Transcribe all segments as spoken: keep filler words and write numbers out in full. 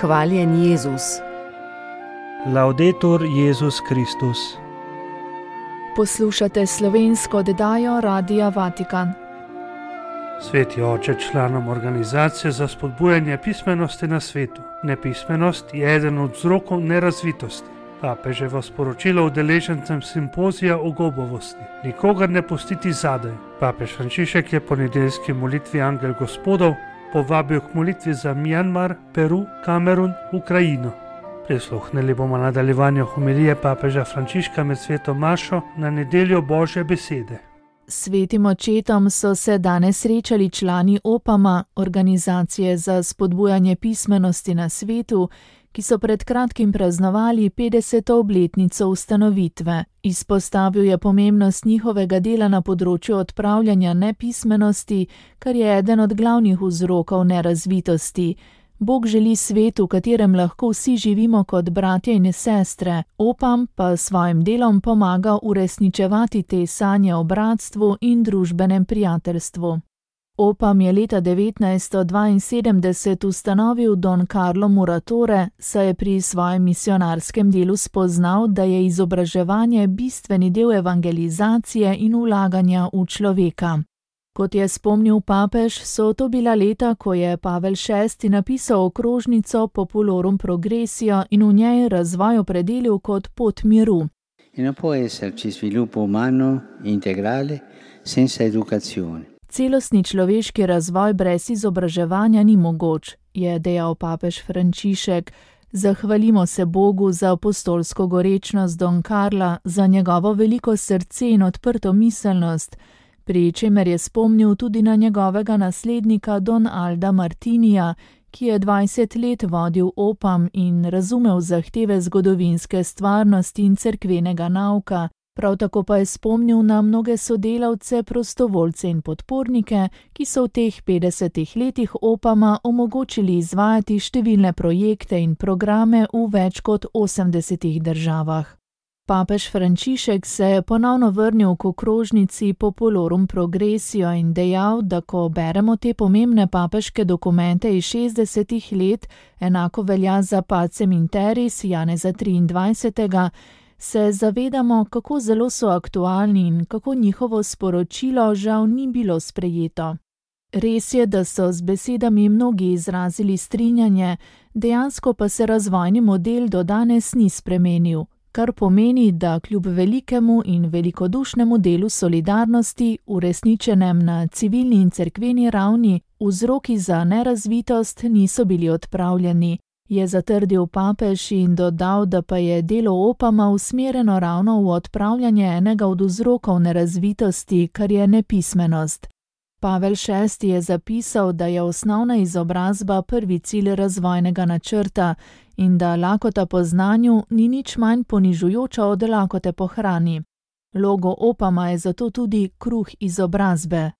Hvaljen Jezus. Laudetur Jezus Kristus. Poslušate slovensko oddajo Radia Vatikan. Sveti oče, članom organizacije za spodbujanje pismenosti na svetu. Nepismenost je eden od vzrokov nerazvitosti. Papeževo sporočilo udeležencem simpozija o gobovosti. Nikogar ne pustiti zadaj. Papež Frančišek je po nedeljski molitvi Angel Gospodov povabil k molitvi za Mjanmar, Peru, Kamerun, Ukrajino. Prisluhnili bomo nadaljevanju homilije papeža Frančiška med sveto mašo na nedeljo Božje besede. Svetim očetom so se danes srečali člani Opama, organizacije za spodbujanje pismenosti na svetu, ki so pred kratkim praznovali petdeseto obletnico ustanovitve. Izpostavil je pomembnost njihovega dela na področju odpravljanja nepismenosti, kar je eden od glavnih vzrokov nerazvitosti. Bog želi svet, v katerem lahko vsi živimo kot bratje in sestre, Opam pa s svojim delom pomaga uresničevati te sanje o bratstvu in družbenem prijateljstvu. Opam je leta devetnajststo dvainsedemdeset ustanovil Don Carlo Muratore, saj je pri svojem misionarskem delu spoznal, da je izobraževanje bistveni del evangelizacije in vlaganja v človeka. Kot je spomnil papež, so to bila leta, ko je Pavel šesti napisal okrožnico Populorum Progressio in v njej razvoj opredelil kot pot miru. Non può esserci sviluppo umano integrale senza educazione. Celostni človeški razvoj brez izobraževanja ni mogoč, je dejal papež Frančišek. Zahvalimo se Bogu za apostolsko gorečnost Don Carla, za njegovo veliko srce in odprto miselnost, pri čemer je spomnil tudi na njegovega naslednika Don Alda Martinija, ki je dvajset let vodil Opam in razumel zahteve zgodovinske stvarnosti in cerkvenega nauka. Prav tako pa je spomnil na mnoge sodelavce, prostovoljce in podpornike, ki so v teh petdesetih letih Opama omogočili izvajati številne projekte in programe v več kot osemdesetih državah. Papež Frančišek se je ponovno vrnil k okrožnici Populorum Progressio in dejal, da ko beremo te pomembne papeške dokumente iz šestdesetih let, enako velja za Pacem in Terris Janeza triindvajsetega, se zavedamo, kako zelo so aktualni in kako njihovo sporočilo žal ni bilo sprejeto. Res je, da so z besedami mnogi izrazili strinjanje, dejansko pa se razvojni model do danes ni spremenil, kar pomeni, da kljub velikemu in velikodušnemu delu solidarnosti, uresničenem na civilni in cerkveni ravni, vzroki za nerazvitost niso bili odpravljeni. Je zatrdil papež in dodal, da pa je delo Opama usmerjeno ravno v odpravljanje enega od vzrokov nerazvitosti, kar je nepismenost. Pavel šesti je zapisal, da je osnovna izobrazba prvi cilj razvojnega načrta in da lakota po znanju ni nič manj ponižujoča od lakote po hrani. Logo Opama je zato tudi kruh izobrazbe.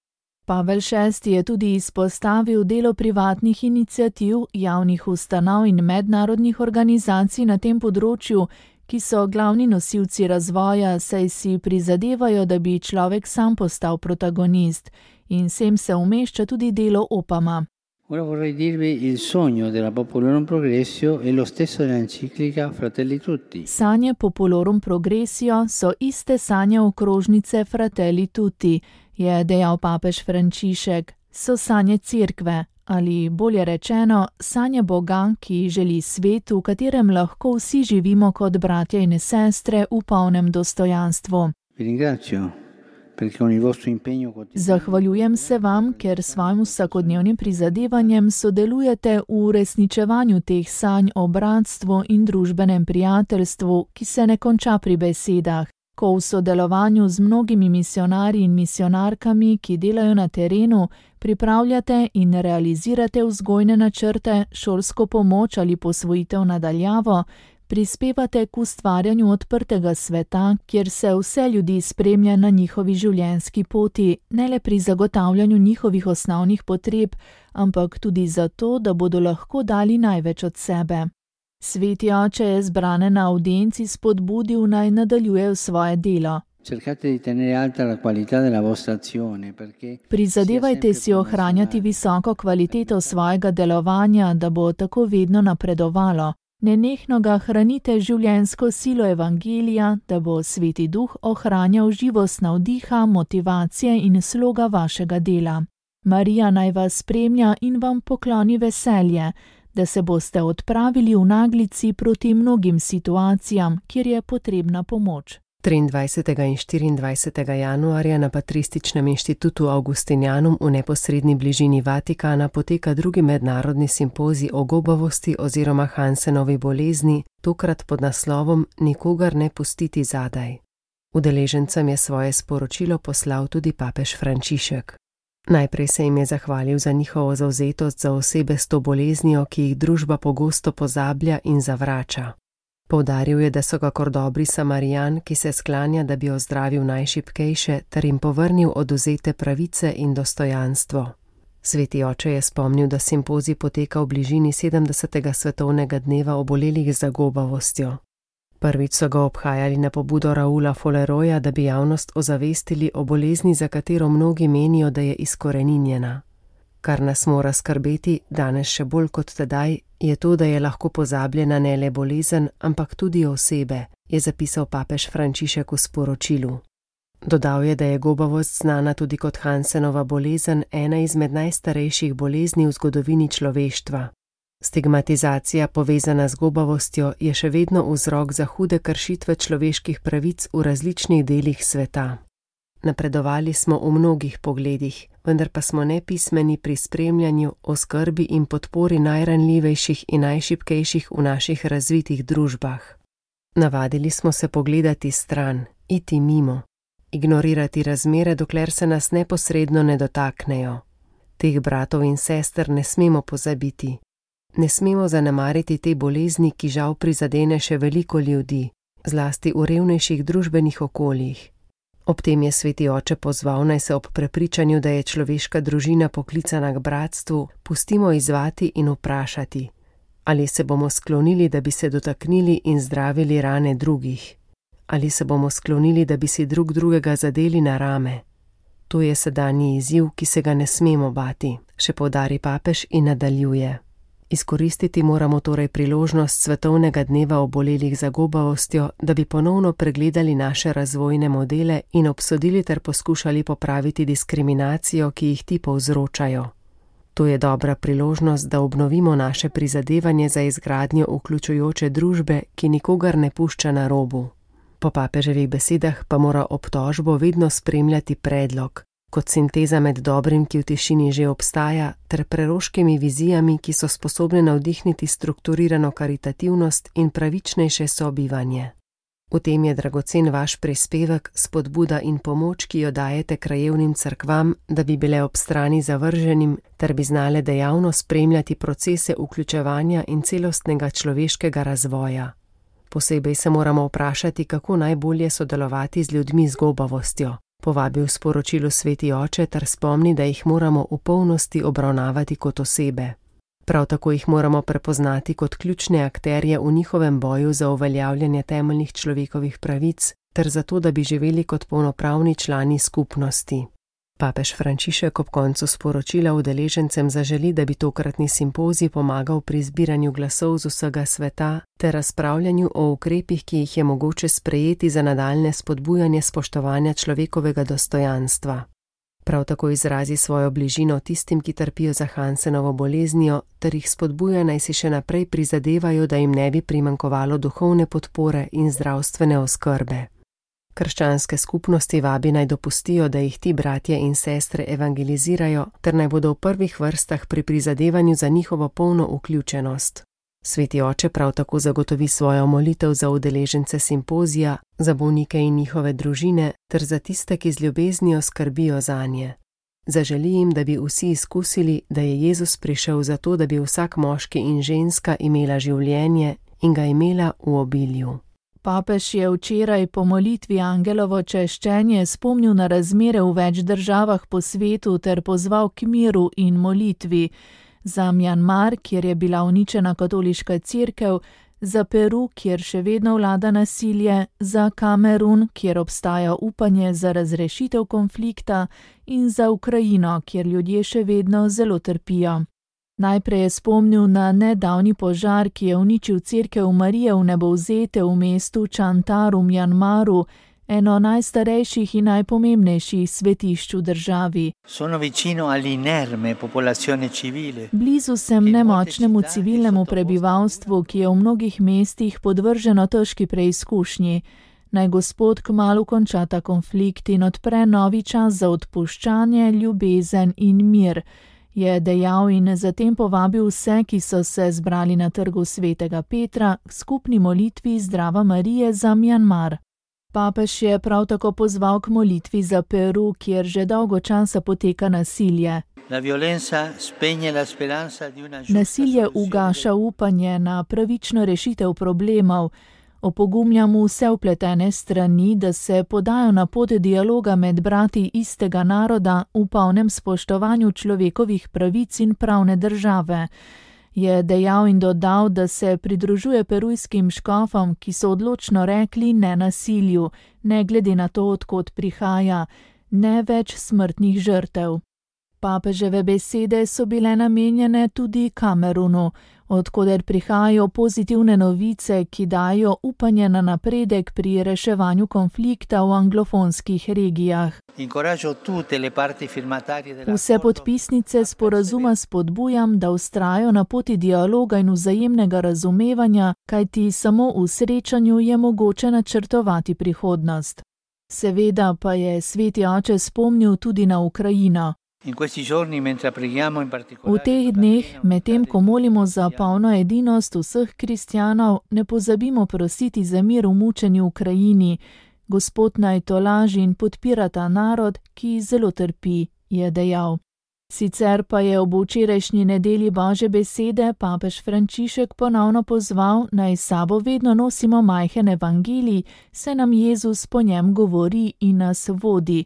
Pavel šesti je tudi izpostavil delo privatnih iniciativ, javnih ustanov in mednarodnih organizacij na tem področju, ki so glavni nosilci razvoja, saj si prizadevajo, da bi človek sam postal protagonist, in sem se umešča tudi delo Opama. Ora vorrei dirvi il sogno della Populorum Progressio è lo stesso dell'enciclica Fratelli Tutti. Sanje Populorum Progressio so iste sanje okrožnice Fratelli Tutti, je dejal papež Frančišek. So sanje cerkve, ali bolje rečeno, sanje Boga, ki želi svet, v katerem lahko vsi živimo kot bratje in sestre v polnem dostojanstvu. Vi ringrazio. Zahvaljujem se vam, ker s svojim vsakodnevnim prizadevanjem sodelujete v uresničevanju teh sanj o bratstvu in družbenem prijateljstvu, ki se ne konča pri besedah. Ko v sodelovanju z mnogimi misionarji in misionarkami, ki delajo na terenu, pripravljate in realizirate vzgojne načrte, šolsko pomoč ali posvojitev nadaljavo, prispevate k ustvarjanju odprtega sveta, kjer se vse ljudi spremlja na njihovi življenjski poti, ne le pri zagotavljanju njihovih osnovnih potreb, ampak tudi zato, da bodo lahko dali največ od sebe. Sveti oče je zbrane na avdienci spodbudil, naj nadaljujejo svoje delo. Cercate di tenere alta la qualità della vostra azione, perché Prizadevajte si ohranjati visoko kvaliteto svojega delovanja, da bo tako vedno napredovalo. Nenehno ga hranite življenjsko silo evangelija, da bo Sveti Duh ohranjal živost navdiha, motivacije in sloga vašega dela. Marija naj vas spremlja in vam pokloni veselje, da se boste odpravili v naglici proti mnogim situacijam, kjer je potrebna pomoč. triindvajsetega in štiriindvajsetega januarja na Patrističnem inštitutu Augustinianum v neposredni bližini Vatikana poteka drugi mednarodni simpozij o gobavosti oziroma Hansenovi bolezni, tokrat pod naslovom Nikogar ne pustiti zadaj. Udeležencem je svoje sporočilo poslal tudi papež Frančišek. Najprej se jim je zahvalil za njihovo zavzetost za osebe s to boleznijo, ki jih družba pogosto pozablja in zavrača. Poudaril je, da so kakor dobri Samarijan, ki se sklanja, da bi ozdravil najšibkejše, ter jim povrnil odvzete pravice in dostojanstvo. Sveti oče je spomnil, da simpozij poteka v bližini sedemdesetega svetovnega dneva obolelih za gobavostjo. Prvič so ga obhajali na pobudo Raula Folleroja, da bi javnost ozavestili o bolezni, za katero mnogi menijo, da je izkoreninjena. Kar nas mora skrbeti, danes še bolj kot tedaj, je to, da je lahko pozabljena ne le bolezen, ampak tudi osebe, je zapisal papež Frančišek v sporočilu. Dodal je, da je gobavost znana tudi kot Hansenova bolezen, ena izmed najstarejših bolezni v zgodovini človeštva. Stigmatizacija povezana z gobavostjo je še vedno vzrok za hude kršitve človeških pravic v različnih delih sveta. Napredovali smo v mnogih pogledih, vendar pa smo nepismeni pri spremljanju, oskrbi in podpori najranljivejših in najšibkejših v naših razvitih družbah. Navadili smo se pogledati stran, iti mimo, ignorirati razmere, dokler se nas neposredno ne dotaknejo. Teh bratov in sester ne smemo pozabiti. Ne smemo zanemariti te bolezni, ki žal prizadene še veliko ljudi, zlasti v revnejših družbenih okoljih. Ob tem je sveti oče pozval, naj se ob prepričanju, da je človeška družina poklicana k bratstvu, pustimo izzvati in vprašati, ali se bomo sklonili, da bi se dotaknili in zdravili rane drugih, ali se bomo sklonili, da bi si drug drugega zadeli na rame. To je sedanji izziv, ki se ga ne smemo bati, še poudari papež in nadaljuje. Izkoristiti moramo torej priložnost svetovnega dneva obolelih za gobavostjo, da bi ponovno pregledali naše razvojne modele in obsodili ter poskušali popraviti diskriminacijo, ki jih ti povzročajo. To je dobra priložnost, da obnovimo naše prizadevanje za izgradnjo vključujoče družbe, ki nikogar ne pušča na robu. Po papeževih besedah pa mora obtožbo vedno spremljati predlog, kot sinteza med dobrim, ki v tišini že obstaja, ter preroškimi vizijami, ki so sposobne navdihniti strukturirano karitativnost in pravičnejše sobivanje. V tem je dragocen vaš prispevek, spodbuda in pomoč, ki jo dajete krajevnim cerkvam, da bi bile ob strani zavrženim, ter bi znale dejavno spremljati procese vključevanja in celostnega človeškega razvoja. Posebej se moramo vprašati, kako najbolje sodelovati z ljudmi z gobavostjo. Povabil sporočilu sveti oče ter spomni, da jih moramo v polnosti obravnavati kot osebe. Prav tako jih moramo prepoznati kot ključne akterje v njihovem boju za uveljavljanje temeljnih človekovih pravic ter zato, da bi živeli kot polnopravni člani skupnosti. Papež Frančišek ob koncu sporočila udeležencem zaželi, da bi tokratni simpozij pomagal pri zbiranju glasov z vsega sveta ter razpravljanju o ukrepih, ki jih je mogoče sprejeti za nadaljne spodbujanje spoštovanja človekovega dostojanstva. Prav tako izrazi svojo bližino tistim, ki trpijo za Hansenovo boleznijo, ter jih spodbuja, naj si še naprej prizadevajo, da jim ne bi primanjkovalo duhovne podpore in zdravstvene oskrbe. Krščanske skupnosti vabi naj dopustijo, da jih ti bratje in sestre evangelizirajo, ter naj bodo v prvih vrstah pri prizadevanju za njihovo polno vključenost. Sveti oče prav tako zagotovi svojo molitev za udeležence simpozija, za bolnike in njihove družine, ter za tiste, ki z ljubeznijo skrbijo zanje. Zaželi jim, da bi vsi izkusili, da je Jezus prišel zato, da bi vsak moški in ženska imela življenje in ga imela v obilju. Papež je včeraj po molitvi angelovo češčenje spomnil na razmere v več državah po svetu ter pozval k miru in molitvi. Za Mjanmar, kjer je bila uničena katoliška cerkev, za Peru, kjer še vedno vlada nasilje, za Kamerun, kjer obstaja upanje za razrešitev konflikta, in za Ukrajino, kjer ljudje še vedno zelo trpijo. Najprej je spomnil na nedavni požar, ki je uničil cerkev Marije v Nebovzete v mestu Čantar v Mjanmaru, eno najstarejših in najpomembnejših svetišč v državi. Blizu sem nemočnemu civilnemu prebivalstvu, ki je v mnogih mestih podvrženo težki preizkušnji. Naj Gospod kmalu konča ta konflikt in odpre novi čas za odpuščanje, ljubezen in mir, je dejal in zatem povabil vse, ki so se zbrali na trgu svetega Petra k skupni molitvi Zdrava Marije za Mjanmar. Papež je prav tako pozval k molitvi za Peru, kjer že dolgo časa poteka nasilje. Nasilje ugaša upanje na pravično rešitev problemov. Opogumljam vse vpletene strani, da se podajo na pot dialoga med brati istega naroda v polnem spoštovanju človekovih pravic in pravne države. Je dejal in dodal, da se pridružuje perujskim škofom, ki so odločno rekli ne nasilju, ne glede na to, odkot prihaja, ne več smrtnih žrtev. Papeževe besede so bile namenjene tudi Kamerunu, odkoder prihajajo pozitivne novice, ki dajo upanje na napredek pri reševanju konflikta v anglofonskih regijah. Vse podpisnice sporazuma spodbujam, da vztrajajo na poti dialoga in vzajemnega razumevanja, kajti samo v srečanju je mogoče načrtovati prihodnost. Seveda pa je sveti oče spomnil tudi na Ukrajino. V teh dneh, medtem ko molimo za polno edinost vseh kristjanov, ne pozabimo prositi za mir v mučeni Ukrajini. Gospod naj tolaži in podpira ta narod, ki zelo trpi, je dejal. Sicer pa je ob včerajšnji nedelji Božje besede papež Frančišek ponovno pozval, naj s sabo vedno nosimo majhen evangelij, saj nam Jezus po njem govori in nas vodi.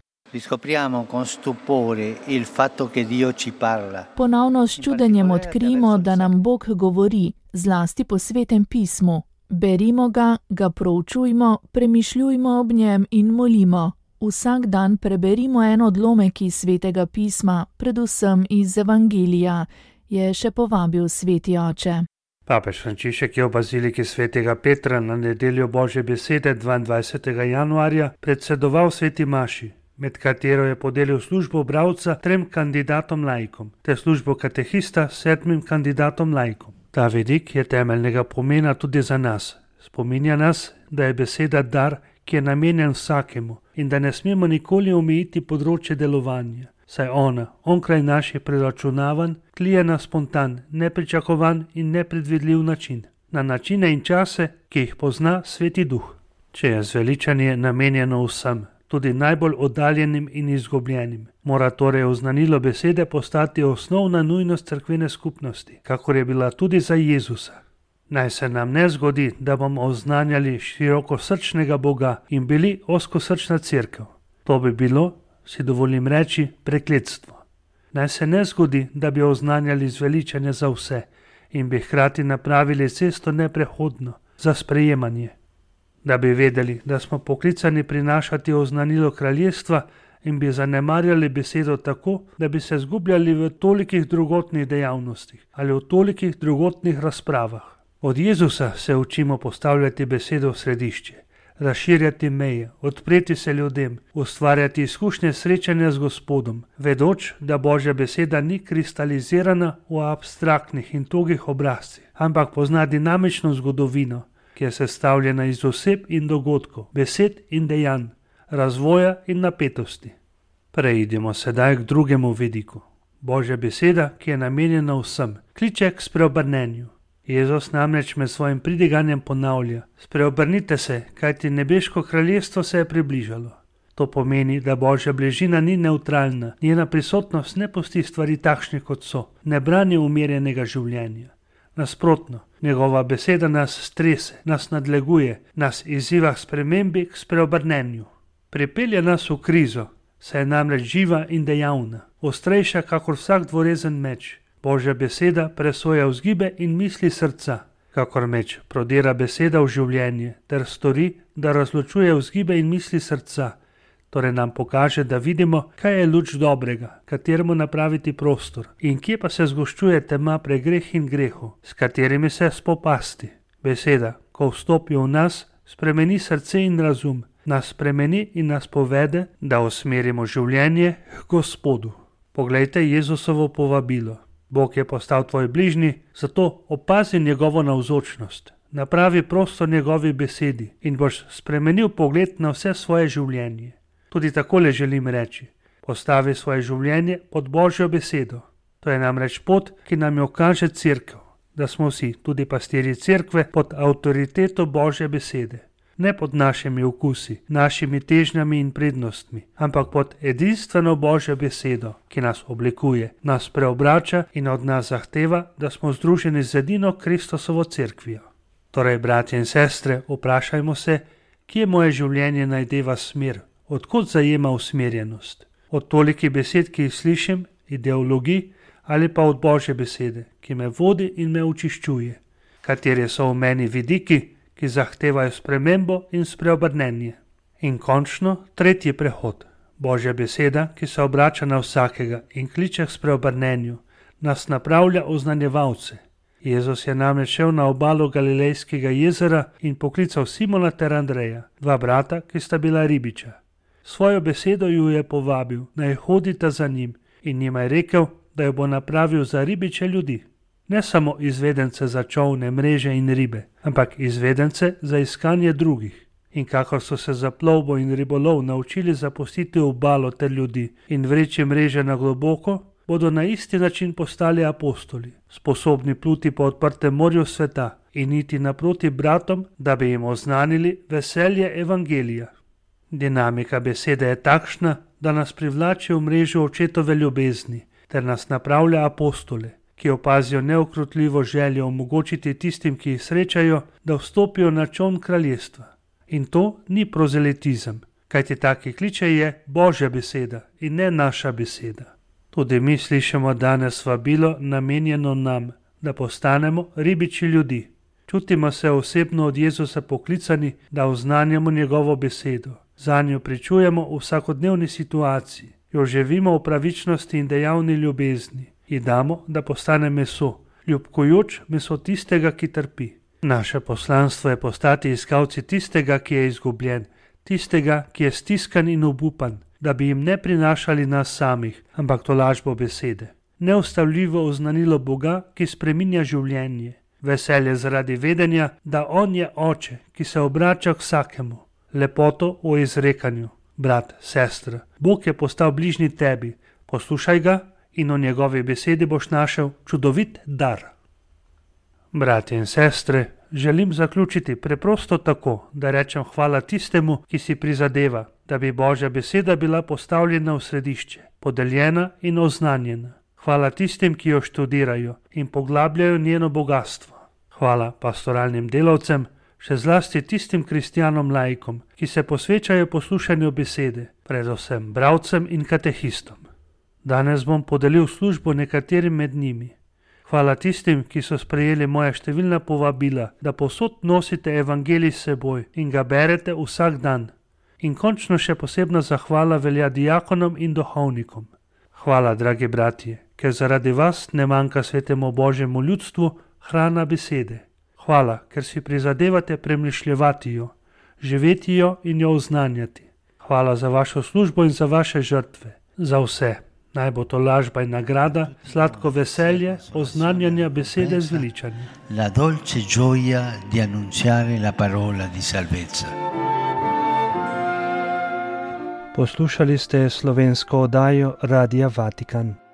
Ponovno s čudenjem odkrijemo, da nam Bog govori, zlasti po svetem pismu. Berimo ga, ga proučujmo, premišljujmo ob njem in molimo. Vsak dan preberimo en odlomek iz svetega pisma, predvsem iz evangelija, je še povabil sveti oče. Papež Frančišek je v baziliki svetega Petra na nedeljo Božje besede dvaindvajsetega januarja predsedoval sveti maši, med katero je podelil službo bralca trem kandidatom laikom, ter službo katehista sedmim kandidatom laikom. Ta vidik je temeljnega pomena tudi za nas. Spominja nas, da je beseda dar, ki je namenjen vsakemu in da ne smemo nikoli omejiti področje delovanja, saj ona, onkraj naših preračunavanj, tlije na spontan, nepričakovan in nepredvidljiv način, na načine in čase, ki jih pozna sveti duh. Če je zveličanje namenjeno vsem, tudi najbolj oddaljenim in izgubljenim, mora torej oznanilo besede postati osnovna nujnost cerkvene skupnosti, kakor je bila tudi za Jezusa. Naj se nam ne zgodi, da bomo oznanjali širokosrčnega Boga in bili ozkosrčna cerkev. To bi bilo, si dovolim reči, prekletstvo. Naj se ne zgodi, da bi oznanjali zveličanje za vse in bi hkrati napravili cesto neprehodno za sprejemanje. Da bi vedeli, da smo poklicani prinašati oznanilo kraljestva in bi zanemarjali besedo tako, da bi se zgubljali v tolikih drugotnih dejavnostih ali v tolikih drugotnih razpravah. Od Jezusa se učimo postavljati besedo v središče, razširjati meje, odpreti se ljudem, ustvarjati izkušnje srečanja z Gospodom, vedoč, da Božja beseda ni kristalizirana v abstraktnih in togih obrazcih, ampak pozna dinamično zgodovino, ki je sestavljena iz oseb in dogodkov, besed in dejanj, razvoja in napetosti. Preidimo sedaj k drugemu vidiku. Božja beseda, ki je namenjena vsem, kliče k spreobrnenju. Jezus namreč med svojim pridiganjem ponavlja: spreobrnite se, kajti nebeško kraljestvo se je približalo. To pomeni, da Božja bližina ni nevtralna, njena prisotnost ne pusti stvari takšne, kot so, ne brani umirjenega življenja. Nasprotno, njegova beseda nas strese, nas nadleguje, nas izziva k spremembi, k spreobrnenju. Pripelje nas v krizo, saj je namreč živa in dejavna, ostrejša kakor vsak dvorezen meč. Božja beseda presoja vzgibe in misli srca, Kakor meč prodira beseda v življenje ter stori, da razločuje vzgibe in misli srca, torej nam pokaže, da vidimo, kaj je luč dobrega, kateremu napraviti prostor in kje pa se zgoščuje tema pre greh in grehu, s katerimi se spopasti. Beseda, ko vstopi v nas, spremeni srce in razum, nas spremeni in nas povede, da usmerimo življenje k Gospodu. Poglejte Jezusovo povabilo. Bog je postal tvoj bližnji, zato opazi njegovo navzočnost, napravi prostor njegovi besedi in boš spremenil pogled na vse svoje življenje. Tudi takole želim reči, postavi svoje življenje pod Božjo besedo. To je namreč pot, ki nam jo kaže Cerkev, da smo vsi, tudi pastirji Cerkve, pod avtoriteto Božje besede. Ne pod našimi okusi, našimi težnjami in prednostmi, ampak pod edinstveno Božjo besedo, ki nas oblikuje, nas preobrača in od nas zahteva, da smo združeni z edino Kristusovo cerkvijo. Torej, bratje in sestre, vprašajmo se, kje moje življenje najdeva smer, odkot zajema usmerjenost. Od tolikih besed, ki jih slišim, ideologij ali pa od Božje besede, ki me vodi in me očiščuje. Kateri so v meni vidiki, ki zahtevajo spremembo in spreobrnenje. In končno, tretji prehod. Božja beseda, ki se obrača na vsakega in kliče k spreobrnenju, nas napravlja oznanjevalce. Jezus je namreč šel na obalo Galilejskega jezera in poklical Simona ter Andreja, dva brata, ki sta bila ribiča. Svojo besedo ju je povabil, naj hodita za njim, in njima je rekel, da jo bo napravil za ribiče ljudi. Ne samo izvedence za čolne, mreže in ribe, ampak izvedence za iskanje drugih. In kakor so se za plovbo in ribolov naučili zapustiti obalo ter ljudi in vreči mreže na globoko, bodo na isti način postali apostoli, sposobni pluti po odprtem morju sveta in iti naproti bratom, da bi jim oznanili veselje evangelija. Dinamika besede je takšna, da nas privlači v mrežo očetove ljubezni ter nas napravlja apostole, ki opazijo neukrotljivo željo omogočiti tistim, ki jih srečajo, da vstopijo na čoln kraljestva. In to ni prozelitizem, kajti taki kliče je Božja beseda in ne naša beseda. Tudi mi slišimo danes vabilo namenjeno nam, da postanemo ribiči ljudi. Čutimo se osebno od Jezusa poklicani, da oznanjamo njegovo besedo. Zanjo pričujemo v vsakodnevni situaciji, jo živimo v pravičnosti in dejavni ljubezni. In damo, da postane meso, ljubkojoč meso tistega, ki trpi. Naše poslanstvo je postati iskalci tistega, ki je izgubljen, tistega, ki je stiskan in obupan, da bi jim ne prinašali nas samih, ampak tolažbo besede. Neustavljivo oznanilo Boga, ki spreminja življenje. Veselje zaradi vedenja, da On je Oče, ki se obrača k vsakemu. Lepoto o izrekanju. Brat, sestra, Bog je postal bližnji tebi. Poslušaj ga in o njegovi besedi boš našel čudovit dar. Bratje in sestre, želim zaključiti preprosto tako, da rečem hvala tistemu, ki si prizadeva, da bi Božja beseda bila postavljena v središče, podeljena in oznanjena. Hvala tistim, ki jo študirajo in poglabljajo njeno bogatstvo. Hvala pastoralnim delavcem, še zlasti tistim kristjanom laikom, ki se posvečajo poslušanju besede, predvsem bralcem in katehistom. Danes bom podelil službo nekaterim med njimi. Hvala tistim, ki so sprejeli moja številna povabila, da povsod nosite evangelij s seboj in ga berete vsak dan. In končno še posebna zahvala velja diakonom in duhovnikom. Hvala, dragi bratje, ker zaradi vas ne manjka svetemu Božjemu ljudstvu hrana besede. Hvala, ker si prizadevate premišljevati jo, živeti jo in jo oznanjati. Hvala za vašo službo in za vaše žrtve, za vse. Naj bo to lažba in nagrada, sladko veselje, oznanjanja besede zveličanja. La dolce gioia di annunciare la parola di salvezza. Poslušali ste slovensko oddajo Radia Vatikan.